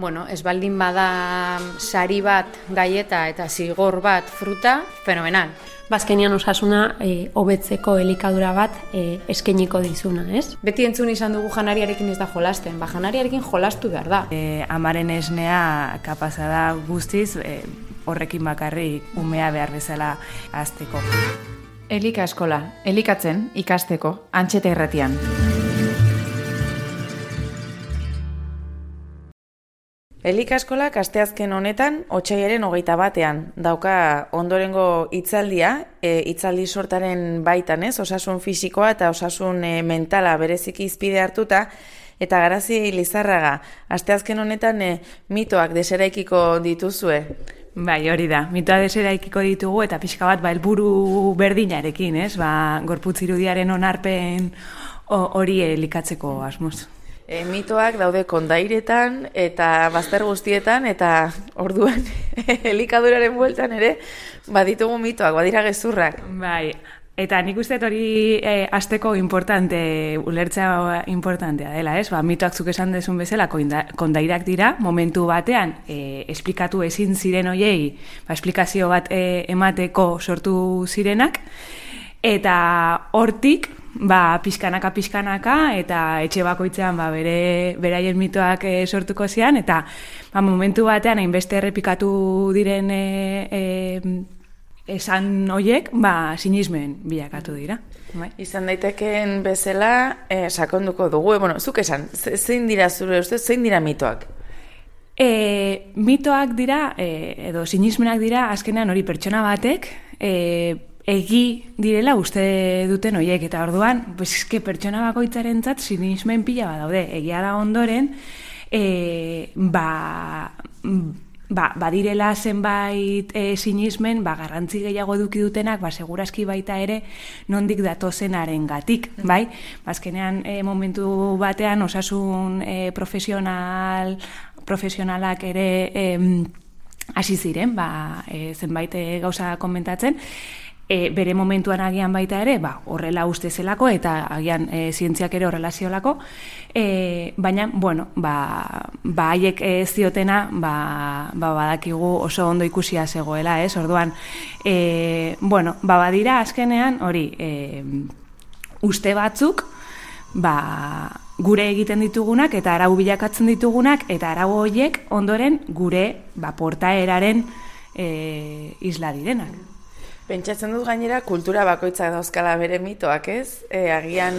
Bueno, ez baldin bada sari bat gaieta eta zigor bat fruta, fenomenal. Bazkenian osasuna hobetzeko elikadura bat eskainiko dizuna, ez? Beti entzun izan dugu janariarekin ez da jolasten, janariarekin jolastu behar da. Amaren esnea kapaza da guztiz, horrekin bakarrik umea behar bezala hazteko. Elika eskola, elikatzen ikasteko, Antxeta Irratian. Elika eskolak asteazken honetan, otsailaren 21ean, dauka ondorengo hitzaldia, hitzaldi sortaren baitan, ez? Osasun fisikoa eta osasun mentala bereziki hizpide hartuta, eta Garazi Lizarraga, asteazken honetan mitoak deseraikiko dituzue. Bai, hori da. Mitoa deseraikiko ditugu eta pixka bat helburu berdinarekin, ez? Gorputz irudiaren onarpen hori elikatzeko asmoz. Mitoak daude kondairetan eta bazter guztietan eta orduan elikaduraren bueltan ere baditugu mitoak, badira gezurrak. Bai, eta nik uste hori hasteko ulertzea importantea dela, ez? Mitoak zuk esan dezun bezala kondairak dira, momentu batean esplikatu ezin ziren hoiei, esplikazio bat emateko sortu zirenak, eta hortik pixkanaka eta etxe bakoitzean beraien mitoak sortuko zian, eta momentu batean hainbeste errepikatu diren esan hoiek, sinismen bilakatu dira. Izan daitekeen bezala sakonduko dugu, zuk esan, zein dira zure ustez, zein dira mitoak? Mitoak dira, edo sinismenak dira, azkenean hori pertsona batek, egi direla uste duten horiek, eta orduan, pertsona bakoitzarentzat sinismen pila bat daude. Egia da ondoren, badirela zenbait sinismen, garrantzi gehiago eduki dutenak, segurazki baita ere nondik datozenaren gatik, bai? Azkenean momentu batean osasun profesionalak ere hasi ziren, zenbait gauza komentatzen, bere momentuan agian baita ere, horrela uste zelako, eta agian zientziak ere horrela ziolako, baina, haiek ziotena, badakigu oso ondo ikusia zegoela, ez? Orduan, badira azkenean, hori, uste batzuk, gure egiten ditugunak, eta arau bilakatzen ditugunak, eta arau horiek ondoren gure portaeraren isla direnak. Pentsatzen dut gainera kultura bakoitzak dauzkala bere mitoak, ez? Agian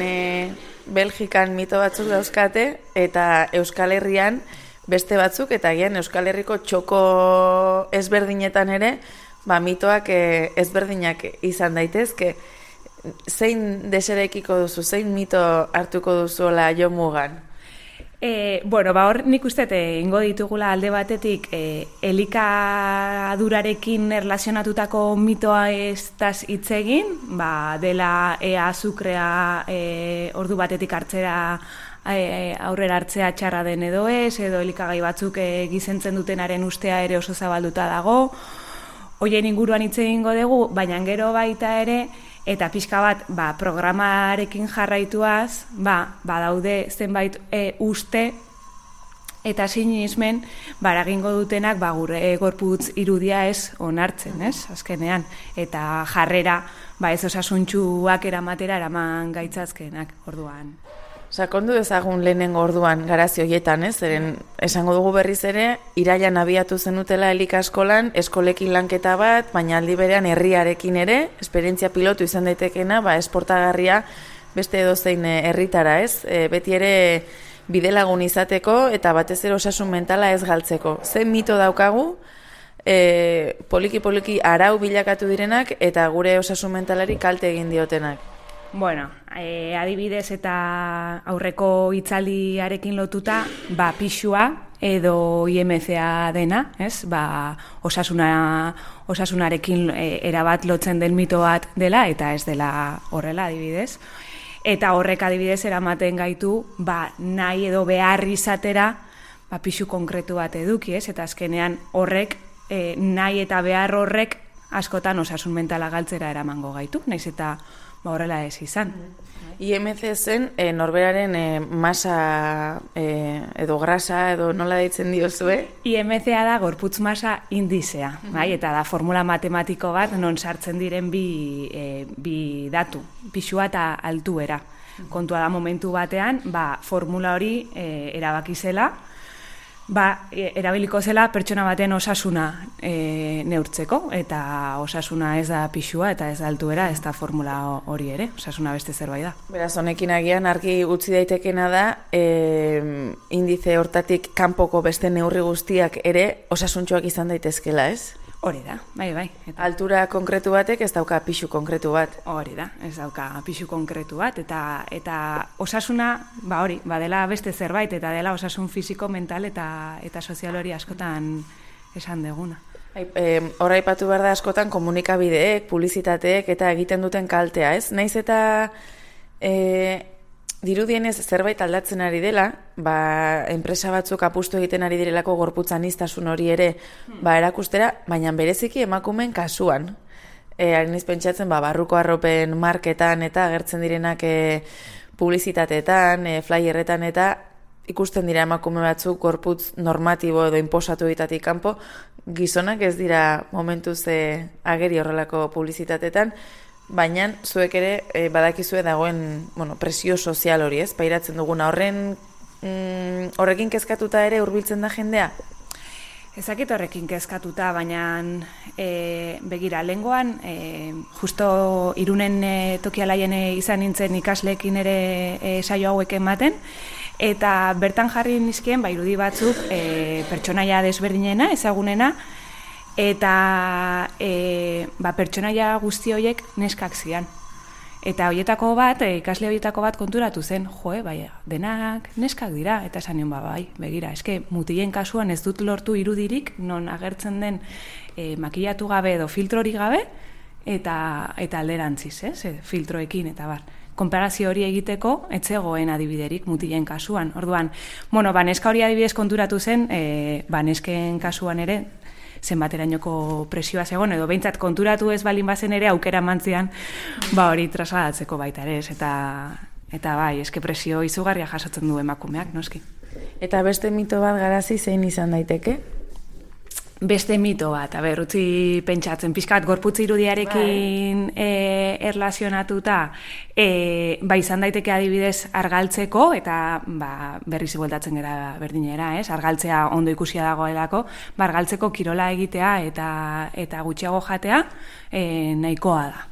Belgikan mito batzuk dauzkate eta Euskal Herrian beste batzuk, eta agian Euskal Herriko txoko ezberdinetan ere mitoak ezberdinak izan daitezke. Zein deseraikiko duzu, zein mito hartuko duzuela jo mugan? Hor nik uste ingo ditugula alde batetik elikadurarekin erlazionatutako mitoa ez hitz egin, dela azukrea ordu batetik aurrera hartzea txarra den edo ez, edo elikagai batzuk gizentzen dutenaren ustea ere oso zabalduta dago, horien inguruan hitz egingo dugu, baina gero baita ere, eta pixka bat, programarekin jarraituaz, badaude zenbait uste eta sinismen baragingo dutenak gure gorputz irudia ez onartzen, ez, azkenean, eta jarrera ez osasuntsuak eraman gaitzazkenak orduan. Sakondu dezagun lehenengo orduan Garazi horietan, ez? Zeren esango dugu berriz ere, irailan abiatu zenutela elika eskolan, eskolekin lanketa bat, baina aldi berean herriarekin ere, esperientzia pilotu izan daitekena, esportagarria beste edozein herritara, ez? Beti ere bidelagun izateko eta batez ere osasun mentala ez galtzeko. Zein mito daukagu, poliki arau bilakatu direnak eta gure osasun mentalari kalte egin diotenak? Adibidez eta aurreko hitzaldiarekin lotuta, pixua edo IMCA dena, ez? Osasunarekin erabat lotzen den mito bat dela, eta ez dela horrela adibidez. Eta horrek adibidez eramaten gaitu, nahi edo behar izatera, pixu konkretu bat eduki, ez? Eta azkenean horrek, nahi eta behar horrek askotan osasun mentala galtzera eramango gaitu, naiz eta horrela ez izan. IMC zen norberaren masa edo grasa edo nola deitzen diozue? IMC-a da gorputz masa indizea, bai? Eta da formula matematiko bat non sartzen diren bi datu, pisua eta altuera. Kontua da momentu batean, formula hori erabaki zela, erabiliko zela pertsona baten osasuna neurtzeko, eta osasuna ez da pisua eta ez da altuera, ez da formula hori ere, osasuna beste zerbait da. Beraz, honekin agian argi utzi daitekena da, indize hortatik kanpoko beste neurri guztiak ere osasuntxoak izan daitezkela, ez? Hori da, bai. Eta altura konkretu batek ez dauka pisu konkretu bat. Hori da, ez dauka pisu konkretu bat, eta osasuna, dela beste zerbait, eta dela osasun fisiko, mental eta sozial hori askotan esan deguna. Hora aipatu behar da askotan komunikabideek, publizitateek eta egiten duten kaltea, ez? Naiz eta dirudienez zerbait aldatzen ari dela, enpresa batzuk apustu egiten ari direlako gorputz aniztasun hori ere erakustera, baina bereziki emakumeen kasuan. Hainiz pentsatzen, barruko arropen marketan eta agertzen direnak publizitateetan, flyerretan eta ikusten dira emakume batzuk gorputz normatibo edo inposatu egitatik kanpo, gizonak ez dira momentuz ageri horrelako publizitatetan, baina zuek ere badakizue dagoen presio sozial hori, ez? Pairatzen duguna horrekin kezkatuta ere hurbiltzen da jendea? Ezakit horrekin kezkatuta, baina begira, lehengoan, justo Irunen tokialaien izan nintzen ikasleekin ere saio hauek ematen, eta bertan jarri nizkien irudi batzuk pertsonaia desberdinena, ezagunena, eta pertsonaia guzti horiek neskak zian. Eta horietako bat, ikasle horietako bat konturatu zen, denak neskak dira, eta esan nion begira, eske mutilen kasuan ez dut lortu irudirik, non agertzen den makillatu gabe edo filtrorik gabe, eta alderantziz, filtroekin, eta konparazio hori egiteko, etzegoen adibiderik mutilen kasuan. Orduan, neska hori adibidez konturatu zen, nesken kasuan ere, zenbaterainoko presioa zegoen, edo behintzat konturatu ez balin bazen ere aukera mantzian, hori trasladatzeko baita ere, eta eske presio izugarria jasotzen du emakumeak, noski. Eta beste mito bat garazi zein izan daiteke? Beste mito bat, utzi pentsatzen, pixkat gorputz irudiarekin erlazionatuta, izan daiteke adibidez argaltzeko, eta berriz bueltatzen gara berdinera, argaltzea ondo ikusia dagoelako, argaltzeko kirola egitea eta gutxiago jatea nahikoa da.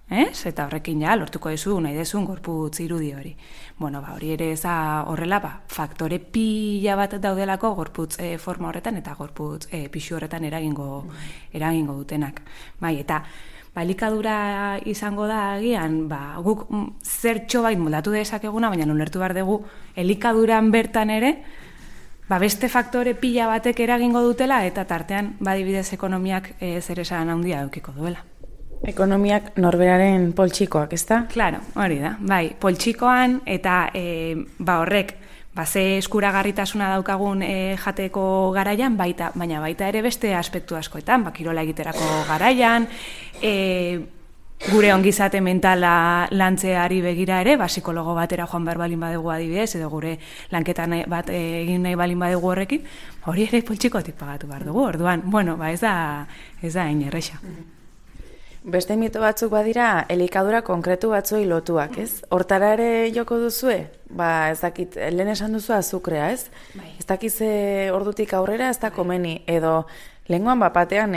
Eta horrekin lortuko nahi dezun gorputz irudi hori. Hori ere ez horrela, faktore pila bat daudelako gorputz forma horretan eta gorputz pixu horretan eragingo dutenak. Eta elikadura izango da agian, guk zertxo bait moldatu dezakeguna, baina ulertu behar dugu elikaduran bertan ere, beste faktore pila batek eragingo dutela eta tartean adibidez ekonomiak zer esan handia edukiko duela. Ekonomiak norberaren poltsikoak, ezta? Claro, hori da. Poltsikoan eta horrek ze eskuragarritasuna daukagun jateko garaian, baina baita ere beste aspektu askoetan, kirola egiterako garaian, gure ongizate mentala lantzeari begira ere, psikologo batera joan behar balin badugu adibidez, edo gure lanketan bat egin nahi balin badugu horrekin, hori ere poltsikotik pagatu behar dugu, orduan, ez da hain erresa. Beste mito batzuk badira elikadura konkretu batzuei lotuak, ez? Hortara ere joko duzue? Ez dakit, lehen esan duzu azukrea, ez? Ez dakiz ordutik aurrera ez da komeni, edo lehengoan batean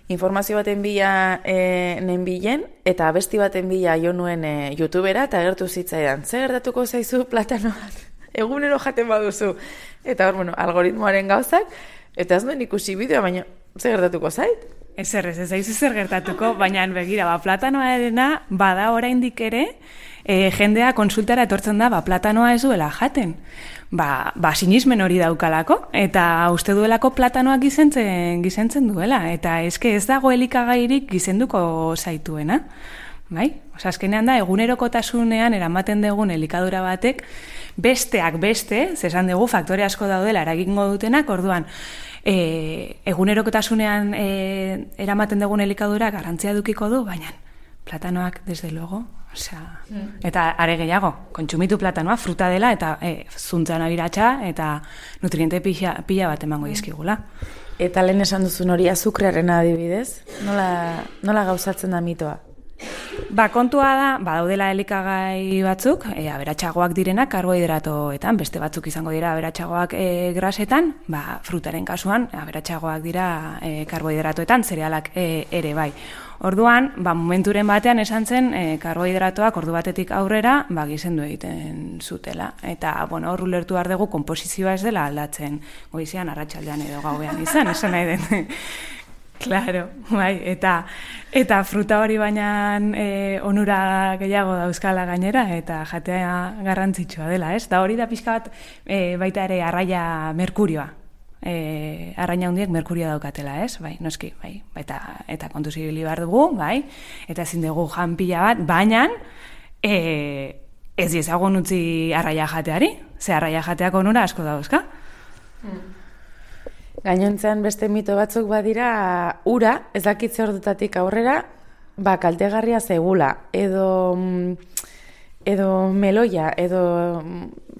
informazio baten bila nenbilen, eta abesti baten bila jo nuen YouTubera, eta agertu zitzaidan, zer gertatuko zaizu platano bat? Egunero jaten baduzu. Eta hor, algoritmoaren gauzak, eta ez nuen ikusi bideoa, baina zer gertatuko zait? Ez aizu zer gertatuko, baina begira, platanoa edena, bada oraindik ere, jendea konsultara etortzen da, platanoa ez duela jaten. Sinismen hori daukalako, eta uste duelako platanoak gizentzen duela, eta eske ez dago elikagairik gizenduko zaituena. Azkenean da, egunerokotasunean eramaten dugun elikadura batek, besteak beste, zesan dugu faktore asko daudela eragingo dutenak, orduan, egunerokotasunean eramaten dugun elikadura garantzia dukiko du, baina platanoak, desde luego, Eta are gehiago, kontsumitu platanoa fruta dela eta zuntzan abiratsa eta nutriente pila bat emango dizkigula. Eta lehen esan duzun hori azukrearen adibidez, nola gauzatzen da mitoa? Kontua da, daudela elikagai batzuk, aberatsagoak direnak karbohidratoetan, beste batzuk izango dira aberatsagoak grasetan, frutaren kasuan aberatsagoak dira karbohidratoetan, zerealak ere bai. Orduan, momenturen batean esan zen karbohidratoak ordu batetik aurrera gizendu egiten zutela. Eta, hor ulertu behar dugu konposizioa ez dela aldatzen goizean, arratsaldean edo gauean izan, esan nahi den. Claro, bai, eta fruta hori baina onura gehiago dauzkala gainera, eta jatea garrantzitsua dela, ez? Da hori da pixka bat baita ere arraia merkurioa. Arraina hundiek merkuria daukatela, ez? Bai, noski, bai. Eta kontuz ibili behar dugu, bai, eta ezin dugu jan pila bat, baina ez diezagun utzi arraia jateari, ze arraia jateak onura asko dauzka. Gainontzean beste mito batzuk badira ura, ez dakitze ordutatik aurrera, kaltegarria zegula, edo meloia, edo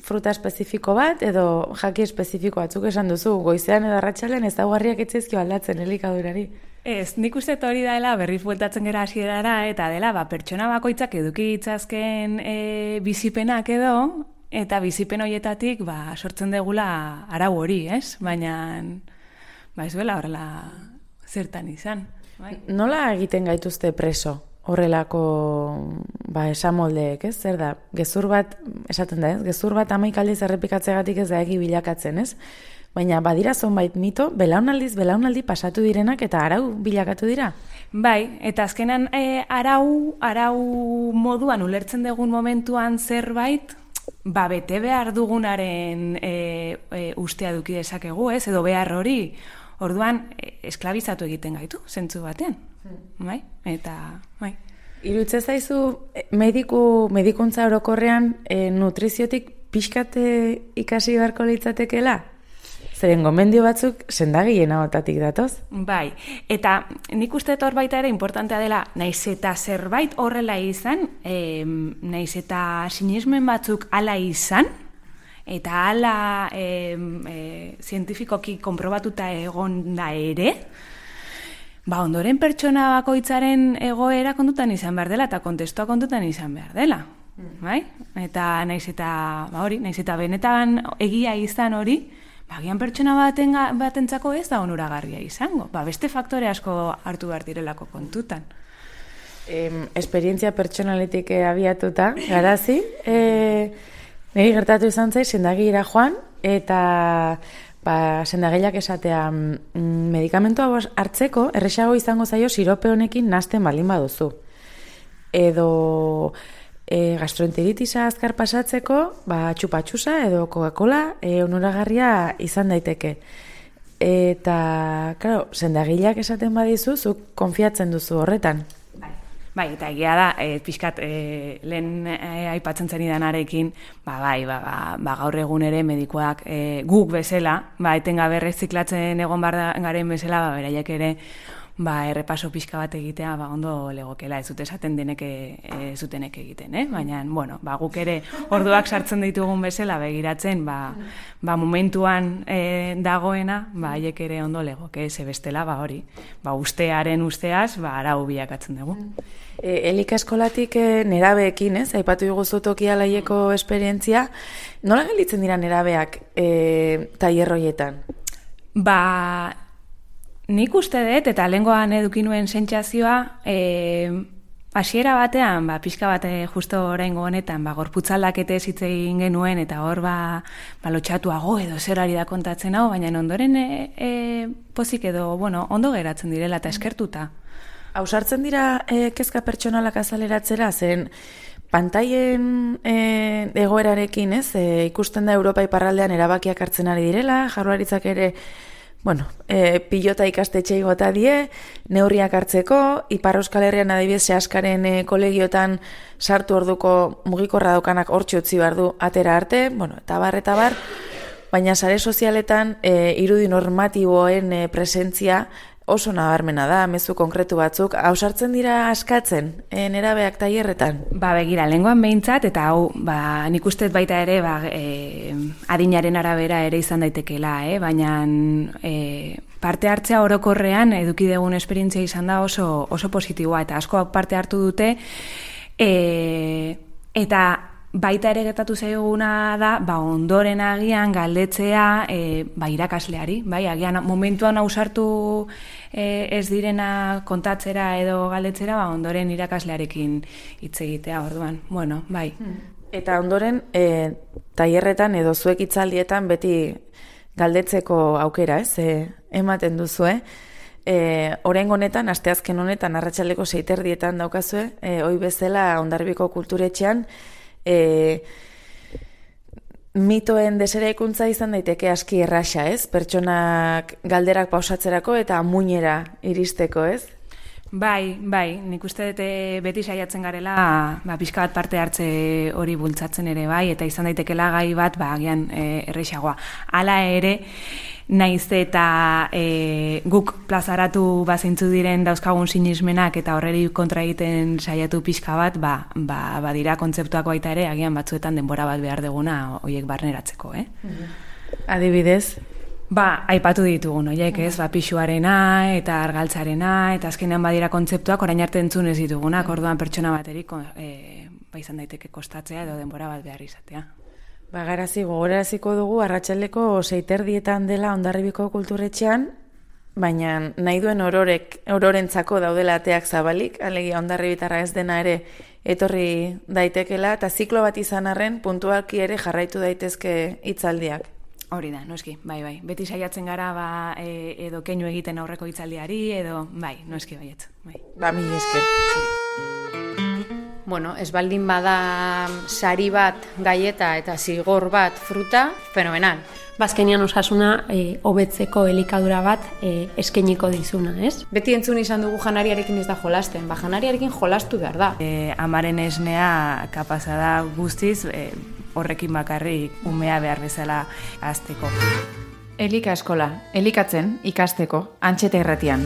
fruta espezifiko bat, edo jaki espezifiko batzuk esan duzu, goizean edo arratsalean ez daugarriak etzaizkio aldatzen elikadurari. Ez, nik uste hori dela berriz bueltatzen gera hasierara eta dela pertsona bakoitzak eduki ditzazken bizipenak edo, eta bizipen horietatik sortzen degula arau hori, ez? Baina ez duela horrela zertan izan. Bai. Nola egiten gaituzte preso horrelako esamoldeek, ez? Zer da, gezur bat, esaten da, ez? Gezur bat 11 aldiz errepikatzegatik ez da egi bilakatzen, ez? Baina badira zonbait mito, belaunaldi pasatu direnak eta arau bilakatu dira? Bai, eta azkenan arau moduan ulertzen dugun momentuan zerbait, bete behar dugunaren ustea duki dezakegu, ez? Edo behar hori, orduan esklabizatu egiten gaitu, zentzu batean. Bai? Eta, bai. Irutze zaizu, medikuntza orokorrean nutriziotik pixkate ikasi beharko litzatekela? Zeren gomendio batzuk sendagileen ahotatik datoz? Bai, eta nik uste hor baita ere importantea dela, naiz eta zerbait horrela izan, naiz eta sinesmen batzuk hala izan, eta hala zientifikoki konprobatuta egon da ere, ondoren pertsona bakoitzaren egoera kontutan izan behar dela, eta kontestua kontutan izan behar dela. Bai? Eta naiz eta benetan egia izan hori, agian pertsona batentzako ez da onuragarria izango. Beste faktore asko hartu behar direlako kontutan. Esperientzia pertsonaletik abiatuta, garazi, niri gertatu izan zai, sendagilera joan, eta sendagilak esatea medikamentua hartzeko, erresago izango zaio sirope honekin nahasten baldin baduzu. Edo gastroenteritisa azkar pasatzeko, txupatxusa edo Coca-Cola onuragarria izan daiteke. Eta, claro, sendagileak esaten badizu, zuk konfiatzen duzu horretan. Bai, eta egia da, pixkat lehen aipatzen zenidanarekin, gaur egun ere medikuak guk bezala, etengabe erreziklatzen egon garen bezala, beraiek ere errepaso pixka bat egitea ondo legokela, ez dute esaten denek zutenek egiten, baina, guk ere orduak sartzen ditugun bezala begiratzen, momentuan dagoena, haiek ere ondo legoke, ze bestela, hori, ustearen usteaz, arau bilakatzen dugu. Elika eskolatik nerabeekin, aipatu diguzu Tokia Laieko esperientzia, nola gelditzen dira nerabeak tailerroietan? Nik uste dut, eta lehengoan eduki nuen sentsazioa, hasiera batean, pixka bat justo oraingo honetan, gorputzaldaketez hitz egin genuen, eta hor lotxatuago edo zerari da kontatzen hau, baina ondoren pozik edo, ondo geratzen direla eta eskertuta. Ausartzen dira kezka pertsonalak azaleratzera, zen pantaien egoerarekin, ikusten da Europa iparraldean erabakiak hartzen ari direla, Jaurlaritzak ere pilota ikastetxei bota die, neurriak hartzeko, Ipar Euskal Herrian adibidez Seaskaren kolegiotan sartu orduko mugikorra daukanak hortxe utzi behar du atera arte, eta bar, baina sare sozialetan irudi normatiboen presentzia oso nabarmena da, mezu konkretu batzuk, hausartzen dira askatzen, nerabeak tailerretan? Begira, lehengoan behintzat, eta hau, nik uste baita ere, adinaren arabera ere izan daitekela, baina parte hartzea orokorrean eduki dugun esperientzia izan da oso positiboa, eta asko parte hartu dute, eta baita ere gertatu zaiguna da, ondoren agian galdetzea irakasleari, agian momentuan ausartu ez direna kontatzera edo galdetzera, ondoren irakaslearekin hitz egitea, orduan, bai. Eta ondoren, tailerretan edo zuek hitzaldietan beti galdetzeko aukera, ematen duzue. Oraingo honetan, asteazken honetan, arratsaldeko 6:30 daukazue, ohi bezala Hondarribiko Kulturetxean, mitoen deseraikuntza izan daiteke aski erraxa, pertsonak galderak pausatzerako eta muinera iristeko, Bai, nik uste dut beti saiatzen garela pixka bat parte hartze hori bultzatzen ere eta izan daitekela gai bat agian errexagoa. Hala ere, naiz eta guk plazaratu bazeintzu diren dauzkagun sinismenak eta horreri kontra egiten saiatu pixka bat, badira kontzeptuak baita ere, agian batzuetan denbora bat behar duguna horiek barneratzeko, Adibidez? Aipatu ditugun, horiek pixuarena eta argaltzarena, eta azkenean badira kontzeptuak orain arte entzun ez ditugunak, orduan pertsona baterik izan daiteke kostatzea edo denbora bat behar izatea. Gogoraraziko dugu arratsaldeko 6:30 dela Hondarribiko Kulturetxean, baina nahi duen ororentzako daudela ateak zabalik, alegia hondarribitarra ez dena ere etorri daitekela, eta ziklo bat izan arren puntualki ere jarraitu daitezke hitzaldiak. Hori da, noski, bai. Beti saiatzen gara edo keinu egiten aurreko hitzaldiari, edo noski baietz. Mila esker. Ez baldin bada sari bat gaieta eta zigor bat fruta, fenomenal. Bazkenian osasuna hobetzeko elikadura bat eskainiko dizuna, Beti entzun izan dugu janariarekin ez da jolasten, janariarekin jolastu behar da. Amaren esnea kapaza da guztiz, horrekin bakarrik umea behar bezala hazteko. Elika eskola, elikatzen ikasteko Antxeta Irratian.